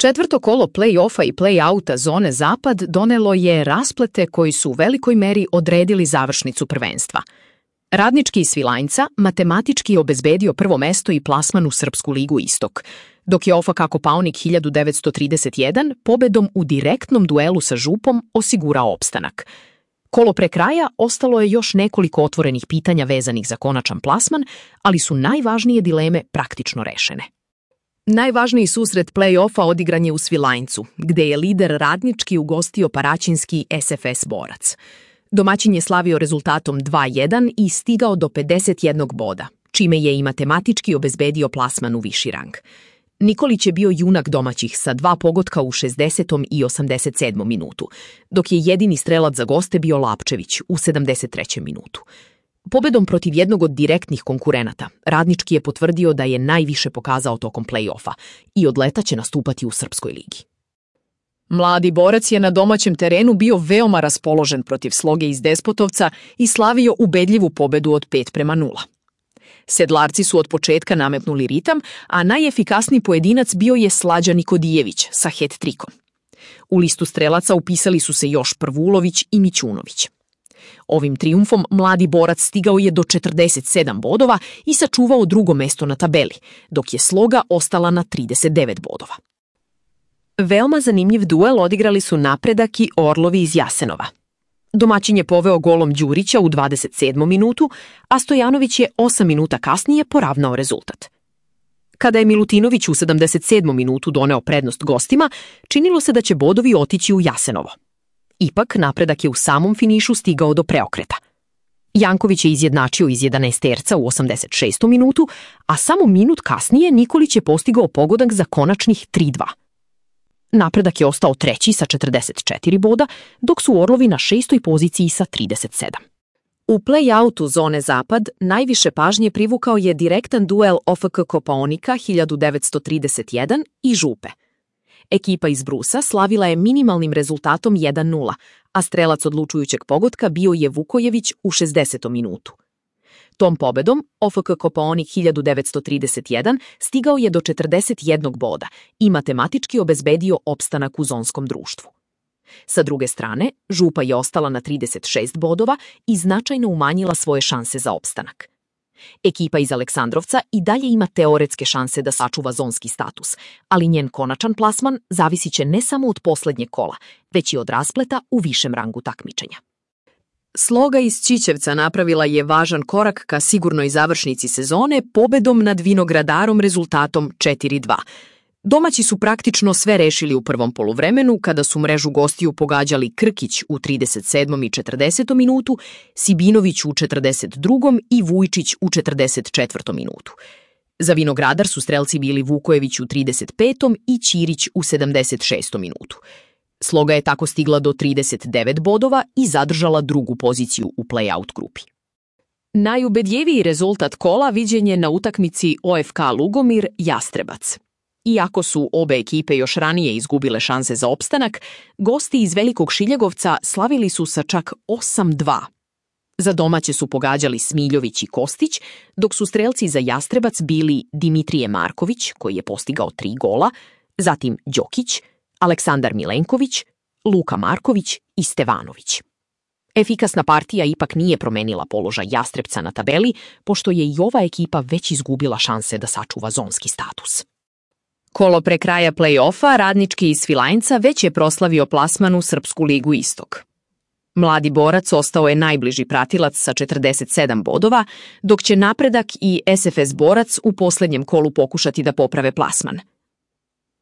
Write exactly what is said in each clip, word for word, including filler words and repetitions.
Četvrto kolo play-offa i play-outa zone Zapad donelo je rasplete koji su u velikoj meri odredili završnicu prvenstva. Radnički iz Svilajnca matematički obezbedio prvo mesto i plasman u Srpsku ligu Istok, dok je O F K Kopaonik hiljadu devetsto trideset jedan pobedom u direktnom duelu sa Župom osigurao opstanak. Kolo pre kraja ostalo je još nekoliko otvorenih pitanja vezanih za konačan plasman, ali su najvažnije dileme praktično rešene. Najvažniji susret play-offa odigran je u Svilajncu, gde je lider Radnički ugostio paraćinski S F S Borac. Domaćin je slavio rezultatom dva jedan i stigao do pedeset jednog boda, čime je i matematički obezbedio plasman u viši rang. Nikolić je bio junak domaćih sa dva pogotka u šezdesetom i osamdeset sedmom minutu, dok je jedini strelac za goste bio Lapčević u sedamdeset trećem minutu. Pobedom protiv jednog od direktnih konkurenata, Radnički je potvrdio da je najviše pokazao tokom play-offa i od leta će nastupati u Srpskoj ligi. Mladi Borac je na domaćem terenu bio veoma raspoložen protiv Sloge iz Despotovca i slavio ubedljivu pobedu od pet prema nula. Sedlarci su od početka nametnuli ritam, a najefikasniji pojedinac bio je Slađa Nikodijević sa het-trikom. U listu strelaca upisali su se još Prvulović i Mićunović. Ovim trijumfom mladi Borac stigao je do četrdeset sedam bodova i sačuvao drugo mesto na tabeli, dok je Sloga ostala na trideset devet bodova. Veoma zanimljiv duel odigrali su Napredak i Orlovi iz Jasenova. Domaćin je poveo golom Đurića u dvadeset sedmom minutu, a Stojanović je osam minuta kasnije poravnao rezultat. Kada je Milutinović u sedamdeset sedmom minutu doneo prednost gostima, činilo se da će bodovi otići u Jasenovo. Ipak, Napredak je u samom finišu stigao do preokreta. Janković je izjednačio iz jedanaesterca u osamdeset šestom minutu, a samo minut kasnije Nikolić je postigao pogodak za konačnih tri dva. Napredak je ostao treći sa četrdeset četiri boda, dok su Orlovi na šestoj poziciji sa trideset sedam. U play-outu zone Zapad najviše pažnje privukao je direktan duel O F K Kopaonika hiljadu devetsto trideset jedan i Župe. Ekipa iz Brusa slavila je minimalnim rezultatom jedan nula, a strelac odlučujućeg pogotka bio je Vukojević u šezdesetom minutu. Tom pobedom O F K Kopaonik hiljadu devetsto trideset jedan stigao je do četrdeset jednog boda i matematički obezbedio opstanak u zonskom društvu. Sa druge strane, Župa je ostala na trideset šest bodova i značajno umanjila svoje šanse za opstanak. Ekipa iz Aleksandrovca i dalje ima teoretske šanse da sačuva zonski status, ali njen konačan plasman zavisit će ne samo od poslednjeg kola, već i od raspleta u višem rangu takmičenja. Sloga iz Ćićevca napravila je važan korak ka sigurnoj završnici sezone pobedom nad Vinogradarom rezultatom četiri dva. Domaći su praktično sve rešili u prvom poluvremenu kada su mrežu gostiju pogađali Krkić u trideset sedmom i četrdesetom minutu, Sibinović u četrdeset drugom i Vujčić u četrdeset četvrtom minutu. Za Vinogradar su strelci bili Vukojević u trideset petom i Ćirić u sedamdeset šestom minutu. Sloga je tako stigla do trideset devet bodova i zadržala drugu poziciju u play-out grupi. Najubedljiviji rezultat kola viđen je na utakmici O F K Lugomir Jastrebac. Iako su obe ekipe još ranije izgubile šanse za opstanak, gosti iz Velikog Šiljegovca slavili su sa čak osam dva. Za domaće su pogađali Smiljović i Kostić, dok su strelci za Jastrebac bili Dimitrije Marković, koji je postigao tri gola, zatim Đokić, Aleksandar Milenković, Luka Marković i Stevanović. Efikasna partija ipak nije promenila položaj Jastrebca na tabeli, pošto je i ova ekipa već izgubila šanse da sačuva zonski status. Kolo pre kraja play-offa Radnički iz Svilajnca već je proslavio plasman u Srpsku ligu Istok. Mladi Borac ostao je najbliži pratilac sa četrdeset sedam bodova, dok će Napredak i S F S Borac u poslednjem kolu pokušati da poprave plasman.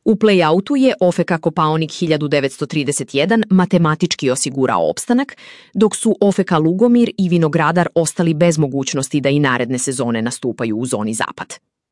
U play-outu je O F K Kopaonik hiljadu devetsto trideset jedan matematički osigurao opstanak, dok su O F K Lugomir i Vinogradar ostali bez mogućnosti da i naredne sezone nastupaju u zoni Zapad.